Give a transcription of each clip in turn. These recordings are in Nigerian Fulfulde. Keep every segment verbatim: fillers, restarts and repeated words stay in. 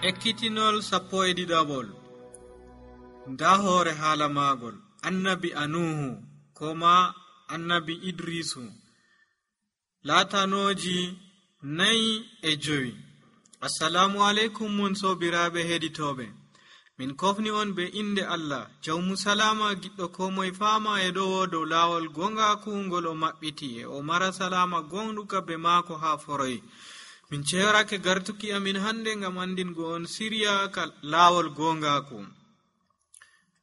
Ekkitinol sappo e ɗiɗaɓol. Nda hoore haala maagol annabi Anuhu koma annabi Idrisu, laatanooji nayi e jowi. Assalamu aleykum mon sobiraaɓe heɗitooɓe, min kofni on be inde Allah jawmu salama giɗɗo ko moye faama e ɗowo dow laawol gongaaku ngol o maɓɓiti e o mara salama gonɗuka be maako haa foroy. Min ceerake gartuki amin hande ngam andingo on siriya ka laawol gongaaku.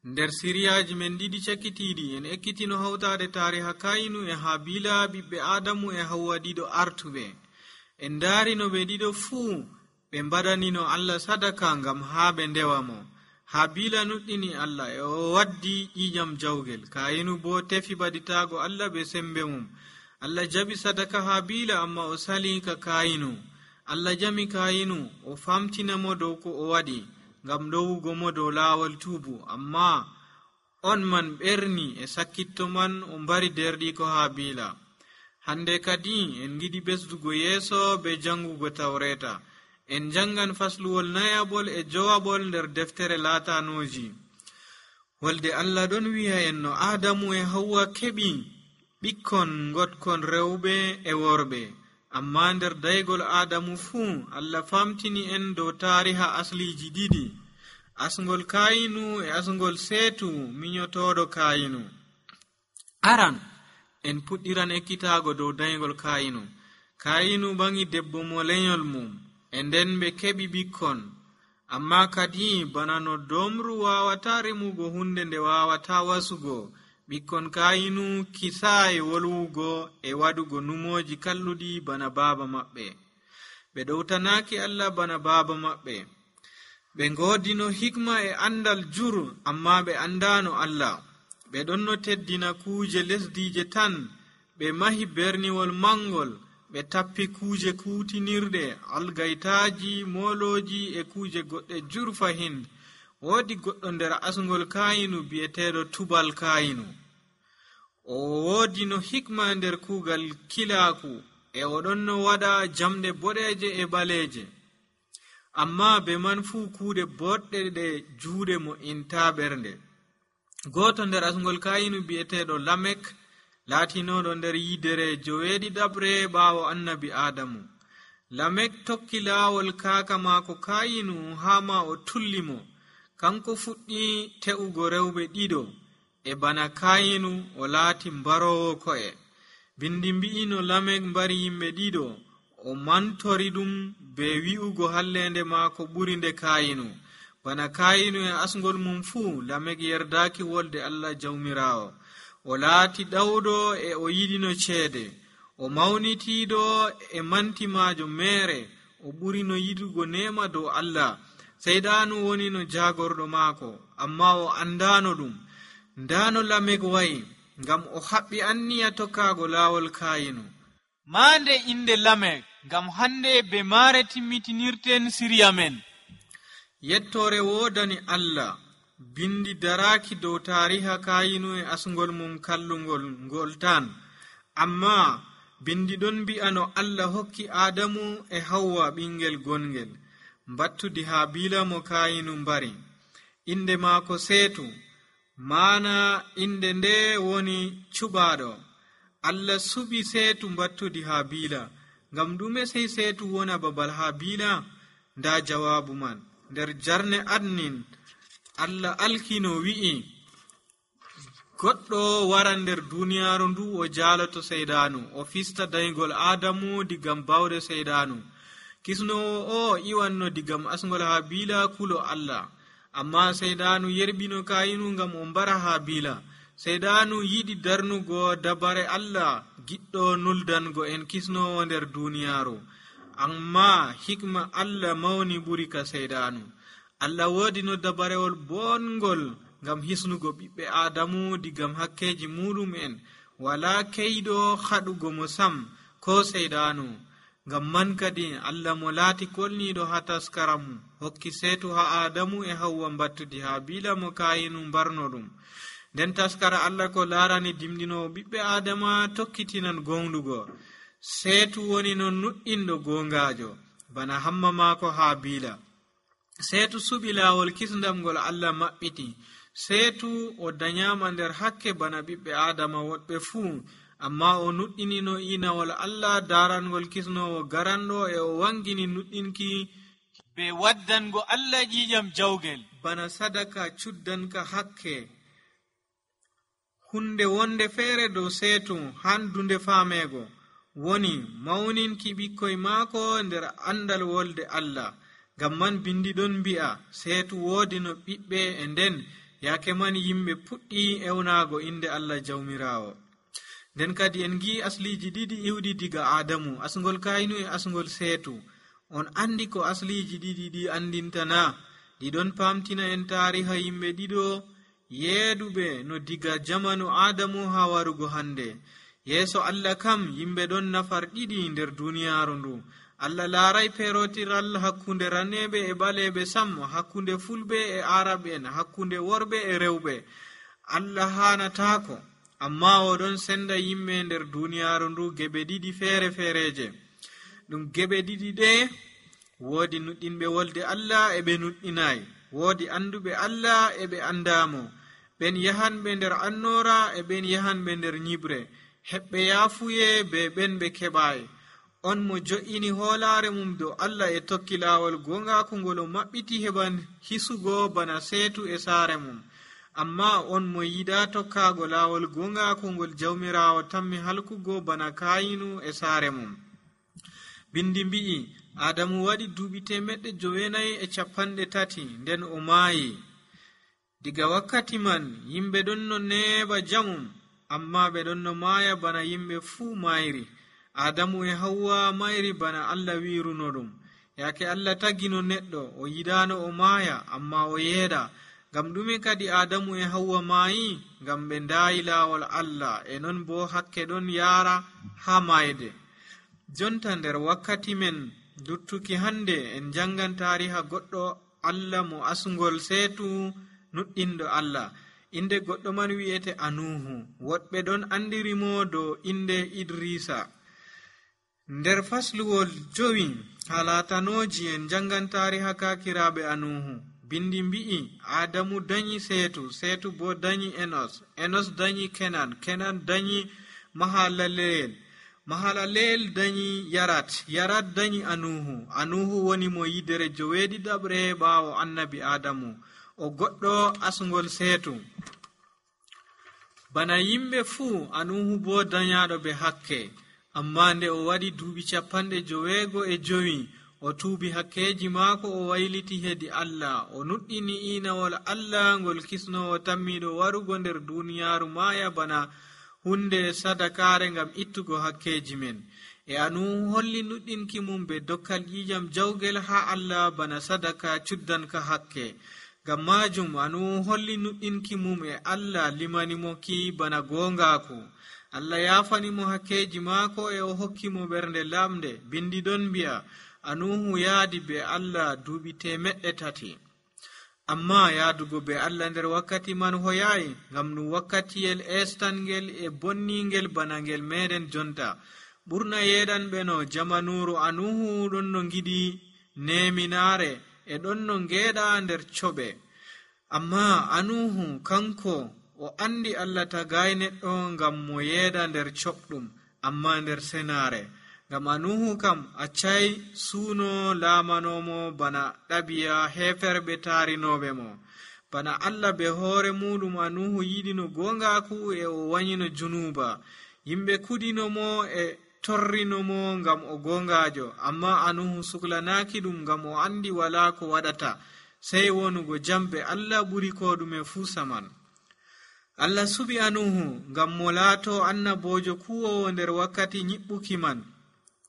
Nder siriyaji men ɗiɗi cakkitiɗi en ekkitino hawtade tariha Kayinu e Habila, ɓiɓɓe Adamu e Hawwa ɗiɗo artuɓe. En darino ɓe ɗiɗo fuu ɓe mbaɗanino Allah sadaka ngam haa ɓe ndewa mo. Habila nuɗɗini Allah e o waddi ƴiƴam jawgel. Kayinu bo tefi baɗitago Allah be sembe mum. Allah jaɓi sadaka Habila, amma o sali ka Kayinu. Allah jami Kayinu o famtinamo dow ko o waɗi ngam ɗowugo mo dow laawol tuubu, amma on man ɓerni e sakkitto man o mbari derɗi ko Habila. Hande kadi en giɗi ɓesdugo yeeso be jangugo tawreta. En jangan fasluwol nayabol e jowabol nder deftere laatanoji. Wolde Allah ɗon wi'a en no Adamu e Hawwa keɓi ɓikkon gotkon rewɓe e worɓe, amma nder daygol Adamu fuu Allah famtini en dow tariha asliji ɗiɗi, asngol Kayinu e asngol Seetu miñotoɗo Kayinu. Aran en puɗɗiran ekkitago dow daygol Kayinu. Kayinu bangi debbo mo lenyol mum, e nden ɓe keɓi ɓikkon, amma kadi bana no domru wawata remugo hunde nde wawata wasugo, ɓikkon Kayinu kisaayi wolwugo e waɗugo numoji kalluɗi bana baaba maɓɓe. Ɓe ɗowtanaki Allah bana baaba maɓɓe. Ɓe ngodino hikma e andal jur, amma ɓe andano Allah. Ɓe ɗon no teddina kuuje lesdije tan. Ɓe mahi berniwol mangol. Ɓe tappi kuuje kutinirɗe, algaytaji, moloji e kuuje goɗɗe jur fahin. Woodi goɗɗo nder asngol Kayinu bi'eteɗo Tubal Kayinu. O woodi no hikma nder kuugal kilaaku e o ɗon no waɗa jamɗe boɗeje e ɓaleje. Amma be man fuu kuuɗe boɗɗe ɗe juuɗe mo inta ɓernde. Goto nder asngol Kayinu bi'eteɗo Lamek laatinoɗo nder yidere joweeɗiɗaɓre ɓaawo annabi Adamu. Lamek tokki laawol kaaka maako Kayinu haa ma o tullimo. Kanko fuɗɗi te'ugo rewɓe ɗiɗo, e bana Kayinu o laati mbarowo ko'e. Bindi mbi'i no Lamek mbari yimɓe ɗiɗo, o mantori ɗum be wi'ugo hallende maako ɓuri nde Kayinu. Bana Kayinu e asngol mum fuu, Lamek yerdaki wolde Allah jawmirawo. O laati ɗawɗo e o yiɗino ceede. O mawnitiiɗo e mantimajo meere. O ɓuri no yiɗugo nema dow Allah. Seyɗanu woni no jagorɗo maako, amma o andano ɗum. Ndano Lamek wayi, ngam o haɓɓi anniya tokkago laawol Kayinu. Maande inde Lamek, ngam hande be maare timmitinirten siriya men. Yettore wodani Allah. Bindi daraki dow tariha Kayinu e asngol mum kallungol ngol tan, amma bindi ɗon mbi'a no Allah hokki Adamu e Hawwa ɓingel gongel, mbattudi Habila mo Kayinu mbari. Inde maako Seetu, mana inde nde woni cuɓaɗo. Allah suɓi Seetu mbattudi Habila. Ngam ɗume sey Seetu wona babal Habila? Nda jawabu man nder jarne adnin. Allah alkino wi'i, goɗɗo wara nder duniyaaru ndu o jaaloto Seydanu, o fista daygol Adamu digam bawɗe Seydanu. Kisnowo o iwanno digam asngol Habila kulo Allah, amma Seydanu yerbino Kayinu ngam o mbara Habila. Seydanu yiɗi darnugo dabare Allah, giɗɗo nuldango en kisnowo nder duniyaaru, amma hikma Allah mawni ɓuri ka Seydanu. Allah woodi no dabarewol bongol ngam hisnugo ɓiɓɓe Adamu digam hakkeji muɗum en. Wala keyɗo haɗugo mo sam ko Seydanu. Ngam man kadi Allah mo laati kolniɗo ha taskara mum hokki Seetu ha Adamu e Hawwa mbattudi Habila mo Kayinu mbarno ɗum. Nden taskara Allah ko laarani dimɗinowo ɓiɓɓe Adama tokkitinan gonɗugo. Seetu woni no nuɗɗinɗo gongajo bana hamma maako Habila. seetu suɓi laawol kisndam ngol Allah maɓɓiti. seetu o danyama nder hakke bana ɓiɓɓe adama woɗɓe fuu, amma o nuɗɗinino inawol Allah darangol kisnowo garanɗo, e o wangini nuɗɗinki be waddango Allah ƴiƴam jawgel bana sadaka cuddanka hakke. hunde wonde feere dow seetu handunde faamego woni mawninki ɓikkoy maako nder andal wolde Allah. ngam man bindi ɗon mbi'a seetu woodi no ɓiɓɓe, e nden yaake man yimɓe puɗɗi ewnago inde Allah jawmirawo. nden kadi en gi asliji ɗiɗi iwɗi diga Adamu, asngol kaynu e asngol seetu. on andi ko asliji ɗiɗi ɗi andintana? ɗiɗon pamtina en tariha yimɓe ɗiɗo yeeduɓe no diga jamanu Adamu ha warugo hande. yeeso Allah kam yimɓe ɗon nafar ɗiɗi nder duniyaaru ndu. Allah laaray perotiral hakkunde raneɓe e ɓaleɓe sam, hakkunde fulɓe e araɓe en, hakkunde worɓe e rewɓe. Allah hanatako, amma oɗon senda yimɓe nder duniyaaru ndu geɓe ɗiɗi feere feereje. ɗum geɓe ɗiɗi ɗe woodi nuɗɗinɓe wolde Allah e ɓe nuɗɗinayi, woodi anduɓe Allah e ɓe andamo. ɓen yahanɓe nder annora e ɓen yahanɓe nder nyibre, heɓɓe yaafuye be ɓen ɓe keɓayi. on mo jo'ini hoolare mum dow Allah e tokki laawol gongaku ngol o maɓɓiti heɓan hisugo bana seetu e saare mum. amma on mo yiɗa tokkago laawol gongaku ngol jawmirawo tammi halkugo bana kayinu e saare mum. bindi mbi'i Adamu waɗi duuɓi temeɗɗe jowenayi e capanɗe tati nden o maayi. diga wakkati man yimɓe ɗon no neeɓa jamum, amma ɓe ɗon no maaya bana yimɓe fuu mayri. Adamu e Hawwa mayri bana Allah wiruno ɗum. yaake Allah tagino neɗɗo o yiɗano o maaya, amma o yeeɗa. ngam ɗume kadi Adamu e Hawwa maayi? ngam ɓe ndaayi laawol Allah, e non bo hakke ɗon yaara ha mayde. jonta nder wakkati men luttuki hande en jangan tariha goɗɗo Allah mo asngol seetu nuɗɗinɗo Allah. inde goɗɗo man wi'ete Anuhu. woɗɓe ɗon andirimo dow inde Idrisa. nder fasluwol jowi halatanoji en jangan tariha kakiraɓe Anuhu. bindi mbi'i Adamu dañi seetu, seetu bo dañi Enos, Enos dañi Kenan, Kenan dañi Mahalaleel, Mahalaleel dañi Yarat, Yarat dañi Anuhu. Anuhu woni mo yidere joweeɗiɗaɓre ɓaawo annabi Adamu, o goɗɗo asngol seetu. bana yimɓe fuu Anuhu bo dañaɗo be hakke, amma nde o waɗi duuɓi capanɗe joweego e jowi o tuubi hakkeji maako, o wayliti hedi Allah, o nuɗɗini inawol Allah ngol kisnowo tammiɗo warugo nder duniyaaru maaya bana hunde sadakare ngam ittugo hakkeji men. e Anuhu holli nuɗɗinki mum be dokkal ƴiƴam jawgel ha Allah bana sadaka cuddanka hakke. ngam majum Anuhu holli nuɗɗinki mum e Allah limanimo ki bana gongaku. Allah yafanimo hakkeji maako e o hokkimo ɓernde lamde. bindi ɗon mbi'a Anuhu yaadi be Allah duuɓi temeɗɗe tati. amma yaadugo be Allah nder wakkati man hoyayi, ngam ɗum wakkatiyel estangel e bonningel bana ngel meɗen jonta. ɓurna yeɗanɓe no jamanuru Anuhu ɗon no giɗi neminare e ɗon no ngeeɗa nder coɓe. amma Anuhu kanko o andi Allah tagay neɗɗo ngam mo yeeɗa nder coɓɗum, amma nder senare. ngam Anuhu kam accay suuno laamanomo bana ɗabiya heferɓe taarinoɓe mo. bana Allah be hoore muɗum Anuhu yiɗino gongaku e o wanyino junuba. yimɓe kuɗinomo e torrinomo ngam o gongajo, amma Anuhu suklanaki ɗum ngam o andi wala ko waɗata sey wonugo jambe Allah ɓuri ko ɗume fuu saman. Allah suɓi Anuhu ngam mo laato annabojo kuwowo nder wakkati nyiɓɓuki man.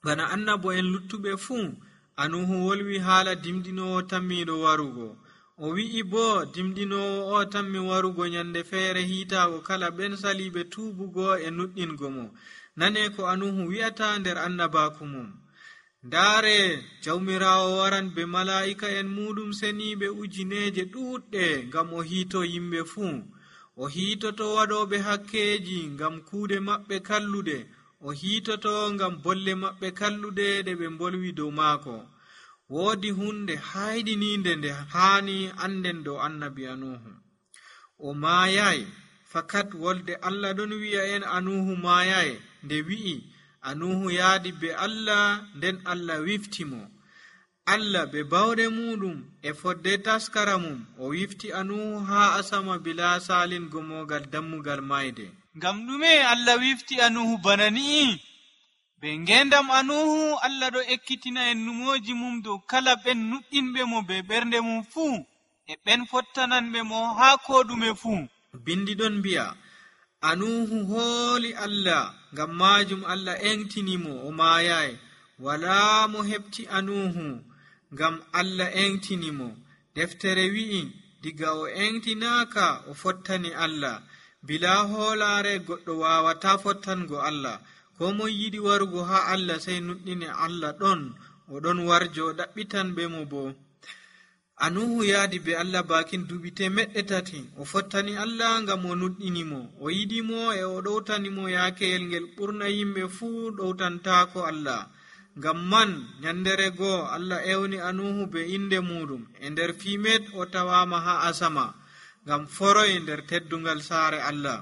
bana annabo en luttuɓe fuu, Anuhu wolwi haala dimdinowo tammiɗo warugo. o wi'i bo dimdinowo o tammi warugo nyande feere hiitaago kala ɓen saliɓe tuubugo e nuɗɗingo mo. nane ko Anuhu wi'ata nder annabaku mum. ndaare jawmirawo waran be mala'ika en muɗum seniɓe ujineje ɗuɗɗe ngam o hiito yimɓe fuu. o hiitoto waɗoɓe hakkeji ngam kuuɗe maɓɓe kalluɗe, o hiitoto ngam bolle maɓɓe kalluɗe ɗe ɓe bolwi dow maako. woodi hunde hayɗininde nde haani anden dow annabiya nuhu. O maayayi fakat wolde Allah ɗon wi'a en anuhu maayayi, nde wi'i anuhu yaadi be Allah, nden Allah wifti mo. Allah be bawɗe muɗum e fodde taskara mum o wifti anuhu haa asama bila salingo mogal dammugal mayde. Ngam ɗume Allah wifti anuhu bana ni'i? Be ngendam anuhu Allah ɗo ekkitina en numoji mum dow kala ɓen nuɗɗinɓe mo be ɓernde mum fuu, e ɓen fottananɓe mo haa koɗume fuu. Bindi ɗon mbi'a anuhu hooli Allah, ngam majum Allah engtinimo o maayayi. Walaa mo heɓti anuhu, ngam Allah engtinimo. Deftere wi'i diga o engtinaaka o fottani Allah. Bila hoolaare goɗɗo waawata fottango Allah. Ko moy yiɗi warugo haa Allah sey nuɗɗine Allah ɗon, o ɗon warjo o ɗaɓɓitanɓe mo bo. Anuhu yaadi be Allah bakin duɓi temeɗɗe tati. O fottani Allah ngam o nuɗɗinimo, o yiɗimo e o ɗowtanimo yaakeyel ngel ɓurna yimɓe fuu ɗowtantaako Allah. Ngam man nyandere goo Allah ewni anuhu be inde muɗum. E nder fimet o tawama haa asama, ngam foroy nder teddungal saare Allah.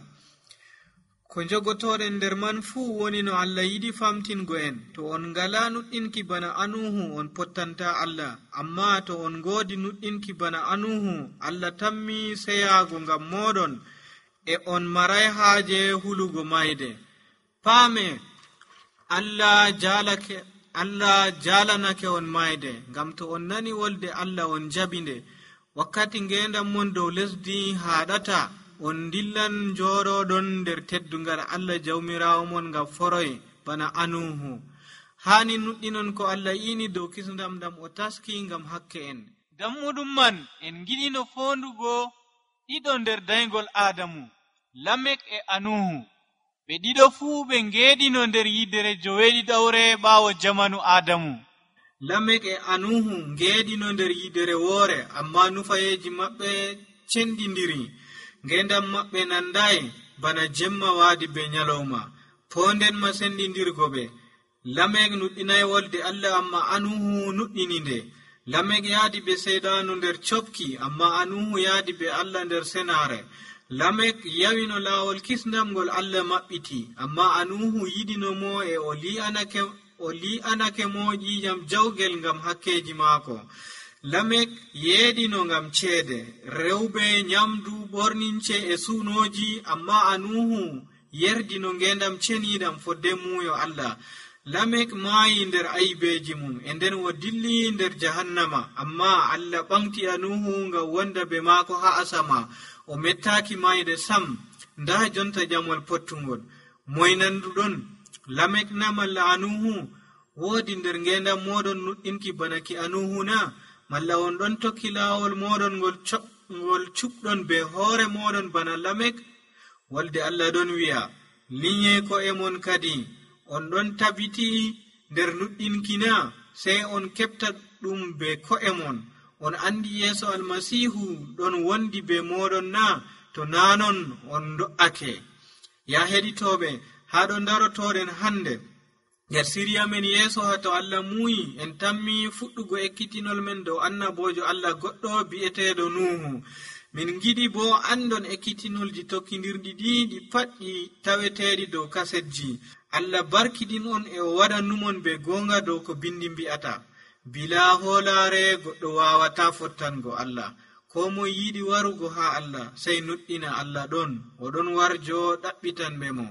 Ko jogotoɗen nder man fuu woni no Allah yiɗi famtingo en. To on ngala nuɗɗinki bana anuhu on pottanta Allah, amma to on ngoodi nuɗɗinki bana anuhu Allah tammi seyaago ngam moɗon, e on maray haaje hulugo mayde. Paame Allah jalake Allah jalanake on mayde, ngam to on nani wolde Allah on jabinde. Wakkati ngendam mon dow lesdi haɗata, on dillan joroɗon nder teddungal Allah jawmirawo mon ngam foroy bana anuhu. Hani nuɗɗinon ko Allah yini dow kisndam dam o taski ngam hakke en. Dammuɗum man en giɗino fondugo ɗiɗo nder daygol Adamu, Lamek e Anuhu. Ɓe ɗiɗo fuu ɓe ngeɗino nder yidere joweeɗiɗawre ɓaawo jamanu Adamu. Lamek e Anuhu ngeɗino nder yidere woore, amma nufayeji maɓɓe cendindiri. Ngendam maɓɓe nandayi bana jemma waadi be nyalawma, poonden ma sendindirgo ɓe. Lamek nuɗɗinayi wolde Allah, amma Anuhu nuɗɗini nde. Lamek yaadi be seydanu nder copki, amma Anuhu yaadi be Allah nder senaare. Lamek yawino laawol kisndam ngol Allah maɓɓiti, amma Anuhu yiɗino mo e o li'anake o li'anake mo ƴiƴam jawgel ngam hakkeji maako. Lamek yeeɗino ngam ceede, rewɓe, nyamdu, ɓornince e suunoji, amma Anuhu yerdino ngendam ceniiɗam fodde muuyo Allah. Lamek maayi nder aybeji mum, e nden o dilli nder jahannama, amma Allah ɓamti Anuhu ngam wonda be maako haa asama. O mettaaki mayde sam. Nda jonta jamol pottungol. Moynanduɗon Lamek na malla Anuhu? Woodi nder ngendam moɗon nuɗɗinki bana ki Anuhu na? Malla on ɗon tokki laawol moɗon ngol ngol cuɓɗon be hoore moɗon bana Lamek? Wolde Allah ɗon wi'a, linye ko e mon kadi. On ɗon tabiti nder nuɗɗinki na? Sey on keɓta ɗum be ko'e mon. On andi Yeeso Almasihu ɗon wondi be moɗon na? To nanon on do'ake. Ya heɗitoɓe, haa ɗo darotoɗen hande nder siriya men yeeso ha to Allah muuyi en tammi fuɗɗugo ekkitinol men dow annabojo Allah goɗɗo bi'eteɗo Nuhu. Min giɗi bo andon ekkitinolji tokkidirɗi ɗi ɗi pat ɗi taweteɗi dow kasetji. Allah barkiɗin on e o waɗannumon be gonga dow ko bindi mbi'ata. Bila hoolaare goɗɗo wawata fottango Allah. Ko moy yiɗi warugo ha Allah sey nuɗɗina Allah ɗon, o ɗon warjo ɗaɓɓitanɓe mo.